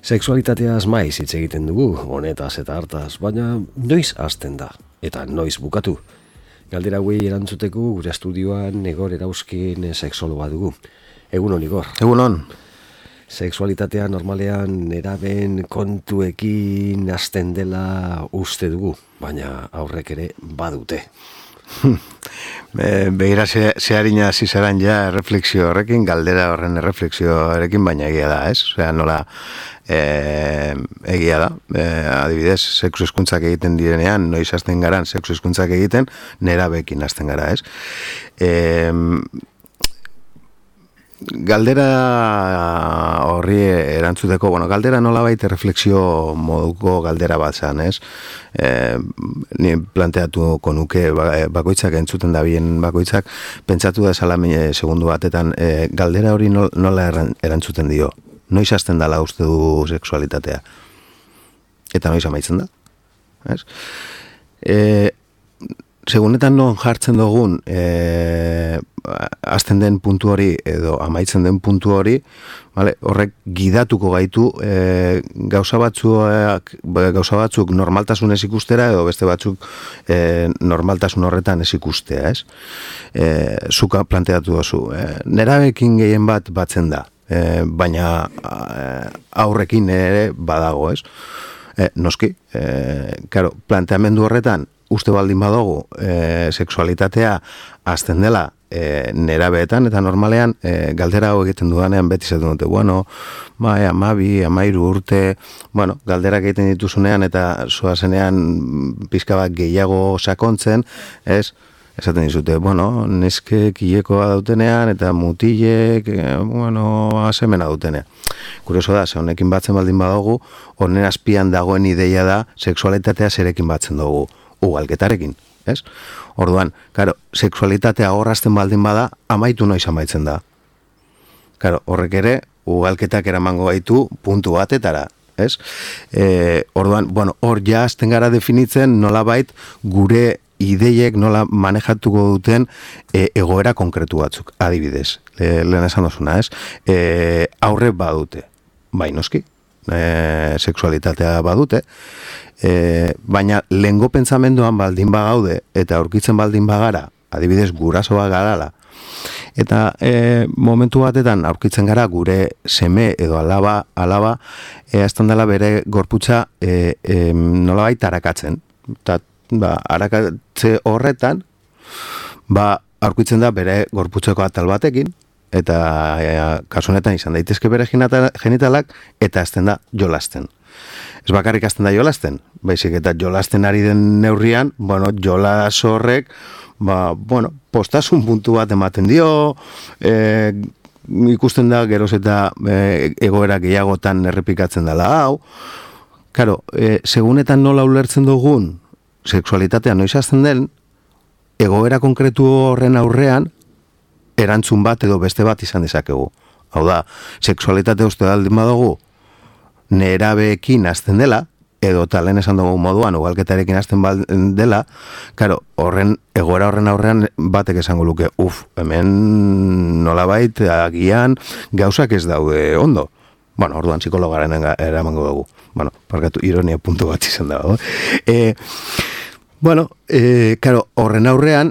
Sexualitateaz maiz hitz egiten dugu, honetaz eta hartaz, baina noiz hasten da, eta noiz bukatu. Galdera hauei erantzuteko gure estudioan Igor Erauzkin sexologa dugu. Egunon, Igor. Egunon. Sexualitatea normalean neraben kontuekin hasten dela uste dugu, baina aurrek ere badute. Begira zeharina zizaran ja erreflexio horrekin, galdera horren erreflexio horrekin, baina egia da, ez? Osea, nola egia da, adibidez, sexu hezkuntzak egiten direnean, noiz hasten garan sexu hezkuntzak egiten, nerabeekin hasten gara, ez? Galdera horri erantzuteko, galdera nolabait erreflexio moduko galdera bat zan, ez? Ni planteatuko nuke bakoitzak entzuten da bien bakoitzak, pentsatu da zala segundu batetan, galdera hori nola erantzuten dio? Noiz hasten dala uste du sexualitatea? Eta noiz amaitzen da? Ez? Segunetan non jartzen dugun hasten den puntu hori edo amaitzen den puntu hori, vale, horrek gidatuko gaitu gauza batzuk normaltasun ez ikustera edo beste batzuk normaltasun horretan ez ikustea, ez? Zuka planteatu dozu. Nerabekin gehien bat batzen da, baina aurrekin ere badago, ez? Noski, planteamendu horretan uste baldin badugu sexualitatea hasten dela nerabeetan, eta normalean galdera hau egiten dudanean beti zaten dute, 12, 13 urte, galderak egiten dituzunean eta zoazenean pizka bat gehiago sakontzen, ez? Esaten dizute, neskek hilekoa dautenean eta mutilek, asemena dautenean. Kurioso da, ze honekin batzen baldin badugu, honen azpian dagoen ideia da sexualitatea zerekin batzen dugu. Ugalketarekin, ez? Orduan, sexualitatea horrazten baldin bada, amaitu noiz amaitzen da. Horrek ere, ugalketak eramango gaitu puntu batetara, ez? Orduan, hor ja hasten gara definitzen nolabait gure ideiek nola manejatuko duten egoera konkretu batzuk, adibidez. Lehen esan dozuna, ez? Aurre badute, bai noski, sexualitatea badute, baina lehengo pentsamenduan baldin bagaude eta aurkitzen baldin bagara, adibidez gurasoa garala, eta momentu batetan aurkitzen gara gure seme edo alaba azten dela bere gorputza nolabait arakatzen, eta arakatze horretan aurkitzen da bere gorputzeko atal batekin, eta kasu honetan izan daitezke bere genitalak, eta azten da jolasten. Ez bakarrik azten da jolasten, baizik eta jolasten ari den neurrian, jolas horrek, postasun puntu bat ematen dio, ikusten da geroz eta egoera gehiagotan errepikatzen dela hau. Segunetan nola ulertzen dugun sexualitatea noiz hasten den, egoera konkretu horren aurrean, erantzun bat edo beste bat izan dezakegu. Hau da, sexualitatea uste daldin badugu, nerabeekin hasten dela, edo talen esan dugu moduan, ugalketarekin hasten dela, horren egoera horren aurrean batek esango luke, hemen nolabait agian gauzak ez daude ondo. Orduan psikologaren eramango dugu. Parkatu, ironia puntu bat izan dago. Horren aurrean,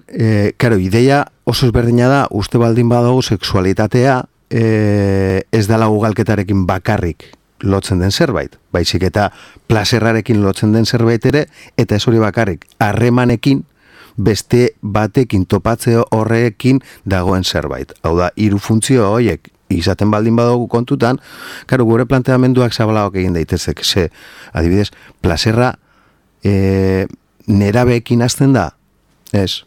ideia oso ezberdina da, uste baldin badago sexualitatea ez dela ugalketarekin bakarrik lotzen den zerbait, baizik eta plaserrarekin lotzen den zerbait ere, eta ez hori bakarrik, harremanekin beste batekin topatze horrekin dagoen zerbait. Hau da, hiru funtzio horiek izaten baldin badago kontutan, gure planteamenduak zabalagoak egin daitezek, adibidez, plaserra nerabeekin hasten da, ez?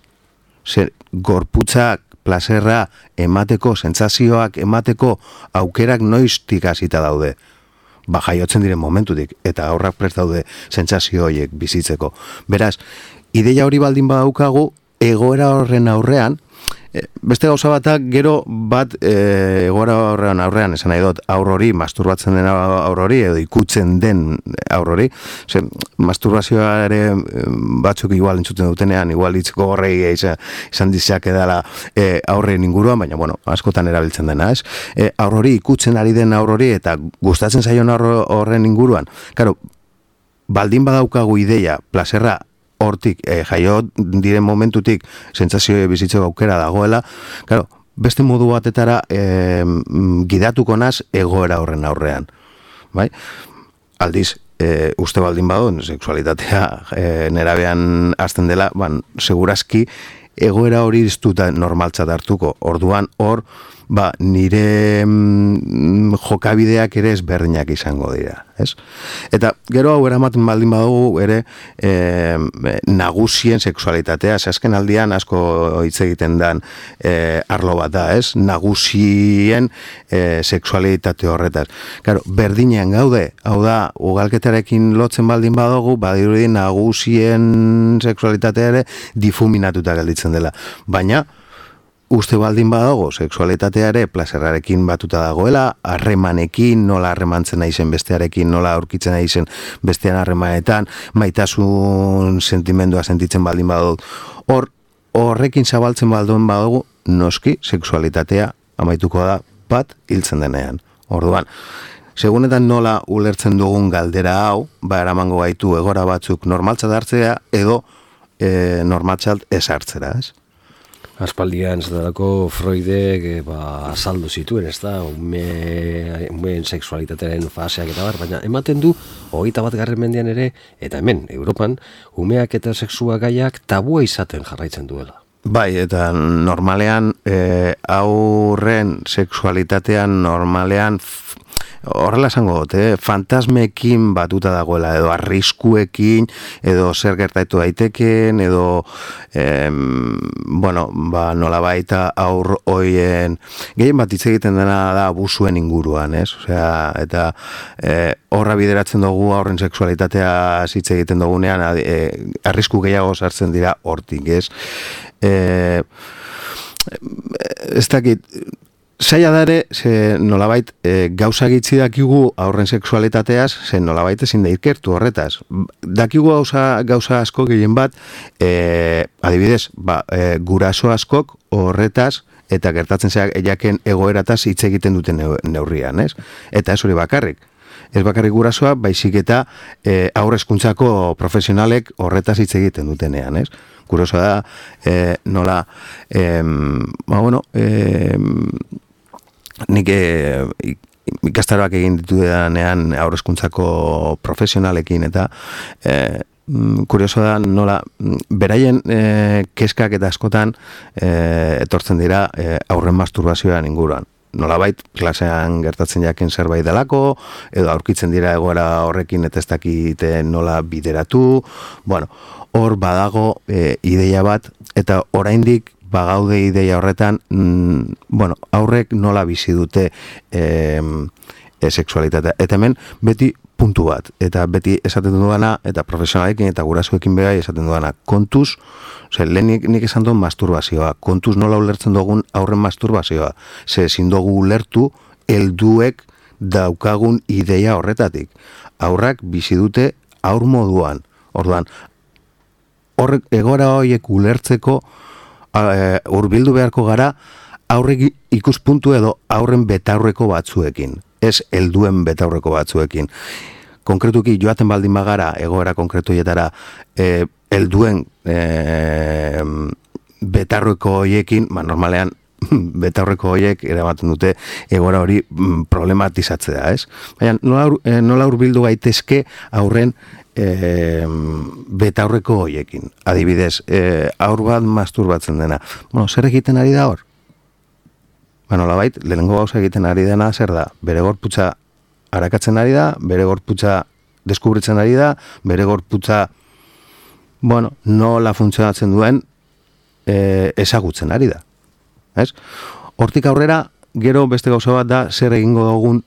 Gorputzak plaserra emateko, sentsazioak emateko aukerak noiztik hasita daude. Jaiotzen diren momentutik, eta horrak prest daude sentsazio horiek bizitzeko. Beraz, ideia hori baldin badaukagu, egoera horren aurrean, beste gauza batak gero bat egoera aurrean esan nahi dut aur hori, masturbatzen den aur hori edo ikutzen den aur hori. Masturbazioa ere batzuk igual entzuten dutenean, igual hitzko horrei izan dizak edala aurren inguruan, baina bueno, askotan erabiltzen dena, ez? Aur hori, ikutzen ari den aur hori eta gustatzen zaion horren inguruan. Claro, baldin badaukagu ideia, plazerra hortik, jaio diren momentutik sentsazio bizitzeko aukera dagoela, claro, beste modu batetara gidatuko naz egoera horren aurrean. Bai? Aldiz, uste baldin badon, sexualitatea nerabean hasten dela, segurazki egoera hori iztuta normaltzat hartuko. Orduan, hor, nire jokabideak ere ezberdinak izango dira, ez? Eta gero hau eramaten baldin badugu ere nagusien sexualitatea, azken aldian asko hitz egiten dan arlo bat da, ez? Nagusien sexualitate horretaz. Claro, berdinean gaude, hau da, ugalketarekin lotzen baldin badugu, badirudi nagusien sexualitatea ere difuminatuta gelditzen dela. Baina uste baldin badago, sexualitatea ere plazerrarekin batuta dagoela, harremanekin, nola harremantzen naizen bestearekin, nola aurkitzen naizen bestean harremanetan, maitasun sentimendua sentitzen baldin badut. Horrekin zabaltzen baldin badago, noski, sexualitatea amaituko da bat hiltzen denean. Orduan, segunetan nola ulertzen dugun galdera hau, eramango gaitu egora batzuk normaltzat hartzea edo normaltzat ez hartzera, ez? Aspaldian zedalako Freudek azaldu zituen, ez da, umeen sexualitatearen faseak eta baina ematen du 21. mendean ere, eta hemen, Europan, umeak eta sexua gaiak tabua izaten jarraitzen duela. Bai, eta normalean aurren sexualitatean normalean horrela esango dut, fantasmekin batuta dagoela, edo arriskuekin, edo zer gertatu daiteken, edo nola baita aur hoien, gehien bat hitz egiten dena da abusuen inguruan, ez? Osea, eta horra bideratzen dugu aurren sexualitatea hitz egiten dugunean, arrisku gehiago sartzen dira hortik, ez? Ez dakit, zaila da ere, nolabait gauza gitzi dakigu aurren sexualitateaz, nolabait ezin da ikertu horretaz. Dakigu gauza asko gehien bat, adibidez, guraso askok horretaz, eta gertatzen jaken egoerataz hitz egiten duten neurrian, ez? Eta ez hori bakarrik. Ez bakarrik gurasoa, baizik eta haurrezkuntzako profesionalek horretaz hitz egiten dutenean, ez? Kuriosoa da, nola, nik ikastaroak egin ditudanean haurrezkuntzako profesionalekin eta kuriosoa da nola beraien kezkak eta askotan etortzen dira aurren masturbazioan inguruan. Nolabait klasean gertatzen jaken zerbait delako, edo aurkitzen dira egoera horrekin eta ez dakite nola bideratu. Bueno, hor badago ideia bat, eta oraindik bagaude ideia horretan, aurrek nola bizi dute sexualitatea. Eta hemen beti puntu bat, eta beti esaten duana, eta profesionalekin eta gurasoekin begai esaten duana, kontuz, lehen nik esan duen masturbazioa, kontuz nola ulertzen dugun aurren masturbazioa, ezin dugu ulertu helduek daukagun ideia horretatik. Aurrak bizi dute aur moduan. Orduan, egora horiek ulertzeko hurbildu beharko gara aurrek ikuspuntu edo aurren betaurreko batzuekin, ez helduen betaurreko batzuekin. Konkretuki joaten baldin bagara egoera konkretuetara helduen betaurreko horiekin, normalean betaurreko horiek eramaten dute egoera hori problematizatzea, ez? Baina nola hurbildu gaitezke aurren betaurreko horiekin. Adibidez, aur bat masturbatzen dena. Zer egiten ari da hor? Nolabait, lehenengo gauza egiten ari dena zer da? Bere gorputza arakatzen ari da, bere gorputza deskubritzen ari da, bere gorputza nola funtzionatzen duen ezagutzen ari da. Hortik aurrera, gero beste gauza bat da zer egingo dugun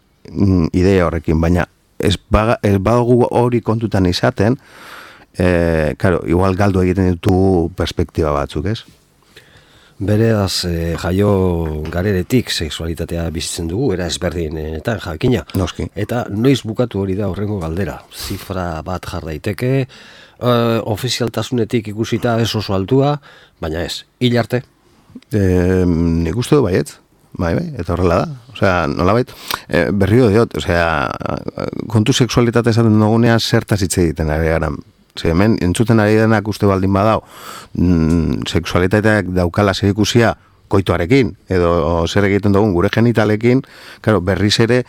ideia horrekin, baina ez badugu hori kontutan izaten, igual galdu egiten ditu perspektiba batzuk, ez? Bereaz, jaio gareretik sexualitatea bizitzen dugu, era ezberdinetan jakina. Noski. Eta noiz bukatu hori da horrengo galdera. Zifra bat jar daiteke, ofizialtasunetik ikusita ez oso altua, baina ez, hil arte? Nik uste du baietz. Bai, eta horrela da. Osea, nolabait, berriro diot, osea, kontu sexualitatea esaten dugunean zertaz hitz egiten ari gara. Hemen, entzuten ari denak uste baldin badao, sexualitateak daukala zer ikusia koitoarekin, edo zer egiten dugun gure genitalekin, claro, berriz ere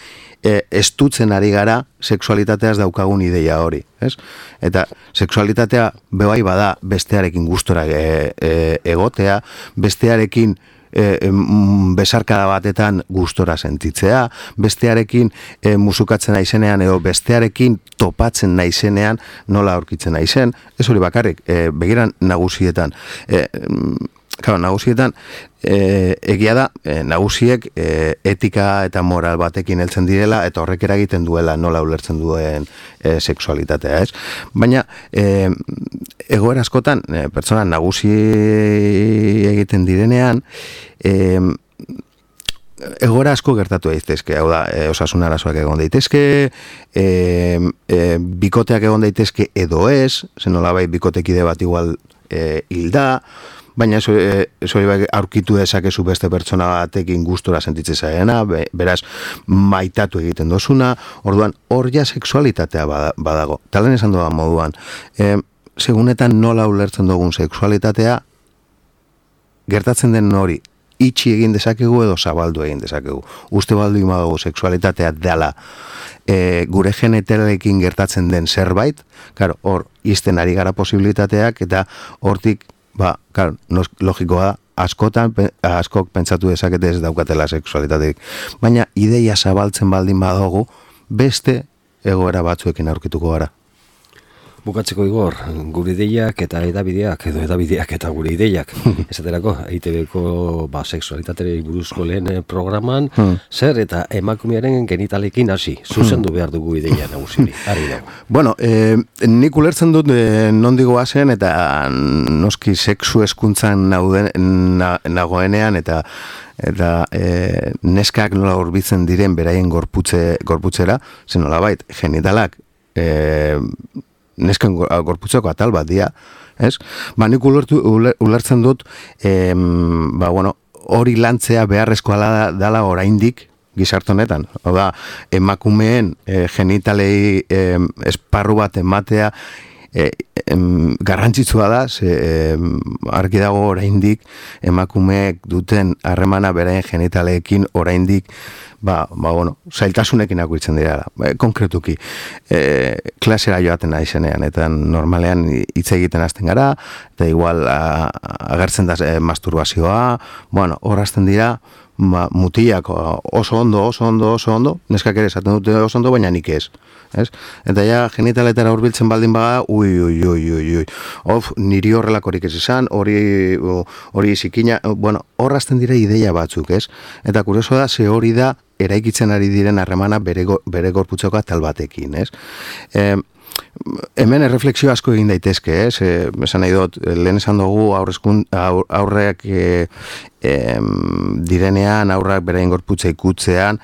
estutzen ari gara sexualitateaz daukagun ideia hori, ez? Eta sexualitatea bebai bada bestearekin gustora egotea, bestearekin besarkada batetan gustora sentitzea, bestearekin musukatzen naizenean edo bestearekin topatzen naizenean nola aurkitzen naizen, ez hori bakarrik, begiran nagusietan. Nagusietan, egia da, nagusiek etika eta moral batekin heltzen direla eta horrek eragiten duela nola ulertzen duen sexualitatea, ez? Baina, egoera askotan, pertsona nagusi egiten direnean, egoera asko gertatu daitezke, hau da, osasun arazoak egon daitezke, bikoteak egon daitezke edo ez, zen nolabait bikotekide bat igual hilda, baina ez hori aurkitu dezakezu beste pertsona batekin gustora sentitzen zaena, beraz maitatu egiten dozuna, orduan hor ja sexualitatea badago. Talen esan doa moduan, segunetan nola ulertzen dugun sexualitatea, gertatzen den hori itxi egin dezakegu edo zabaldu egin dezakegu. Uste baldu imadugu sexualitatea dela gure genitalekin gertatzen den zerbait, hor izten ari gara posibilitateak eta hortik logikoa da, askok pentsatu dezakete ez daukatela sexualitateik. Baina ideia zabaltzen baldin badugu, beste egoera batzuekin aurkituko gara. Bukatzeko Igor, gure ideiak eta edabideak, edo edabideak eta gure ideiak, esaterako, EITB-ko sexualitateari buruzko lehen programan, zer eta emakumearen genitalekin hasi, zuzendu behar dugu ideia nagusiri, ari dago. Bueno, nik ulertzen dut nondik goazen eta noski sexu hezkuntzan nagoenean eta neskak nola hurbiltzen diren beraien gorputzera, zen nolabait, genitalak nesken gorputzeko atal bat dira, ez? Nik ulertzen dut, hori lantzea beharrezkoa dala oraindik gizarte honetan. Hau da, emakumeen genitalei esparru bat ematea garrantzitsua da, argi dago oraindik emakumeek duten harremana beraien genitaleekin oraindik zailtasunekin akurtzen dira. Konkretuki, klasera joaten naizenean, eta normalean hitz egiten hasten gara, eta igual agertzen da masturbazioa, hor hasten dira, mutilak oso ondo, neskak ere esaten dute oso ondo, baina nik ez. Eta ja, genitaletara hurbiltzen baldin baga, niri horrelakorik ez izan, hori zikina, hor hasten dira ideia batzuk, ez? Eta kurioso da, ze hori da, eraikitzen ari diren harremana bere gorputzeko atal batekin, ez? Hemen erreflexio asko egin daitezke, esan nahi dut, lehen esan dugu aurreak direnean, aurrak beraien gorputza ikutzean,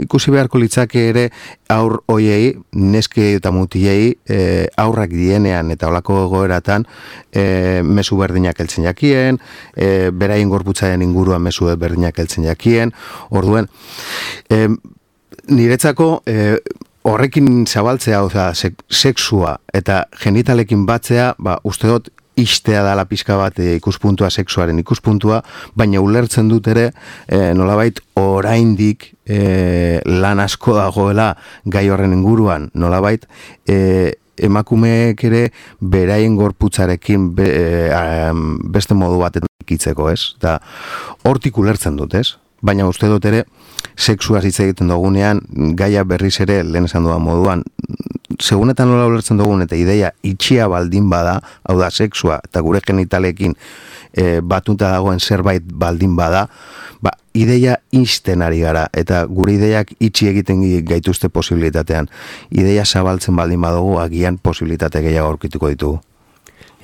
ikusi beharko litzake ere aur hoiei, neske eta mutilei, aurrak dienean eta olako egoeratan mezu berdinak heltzen jakien, beraien gorputzaren inguruan mezu berdinak heltzen jakien, orduen, niretzako horrekin zabaltzea, sexua eta genitalekin batzea, uste dut, istea dala pixka bat ikuspuntua, sexuaren ikuspuntua, baina ulertzen dut ere, nolabait oraindik lan asko dagoela gai horren inguruan, nolabait emakumeek ere beraien gorputzarekin beste modu batetan ikitzeko, ez? Eta hortik ulertzen dut, ez? Baina uste dut ere, sexuaz hitz egiten dugunean, gaia berriz ere, lehen esan dudan moduan, segunetan nola ulertzen dugun eta ideia itxia baldin bada, hau da, sexua eta gure genitalekin batuta dagoen zerbait baldin bada, ideia isten ari gara, eta gure ideiak itxi egiten gaituzte posibilitatean. Ideia zabaltzen baldin badugu, agian posibilitate gehiago aurkituko ditugu.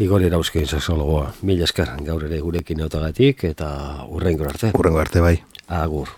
Igor Erauzkin sexologoa. Mila esker gaur ere gurekin eutagatik eta urrengo arte. Urrengo arte bai. Agur.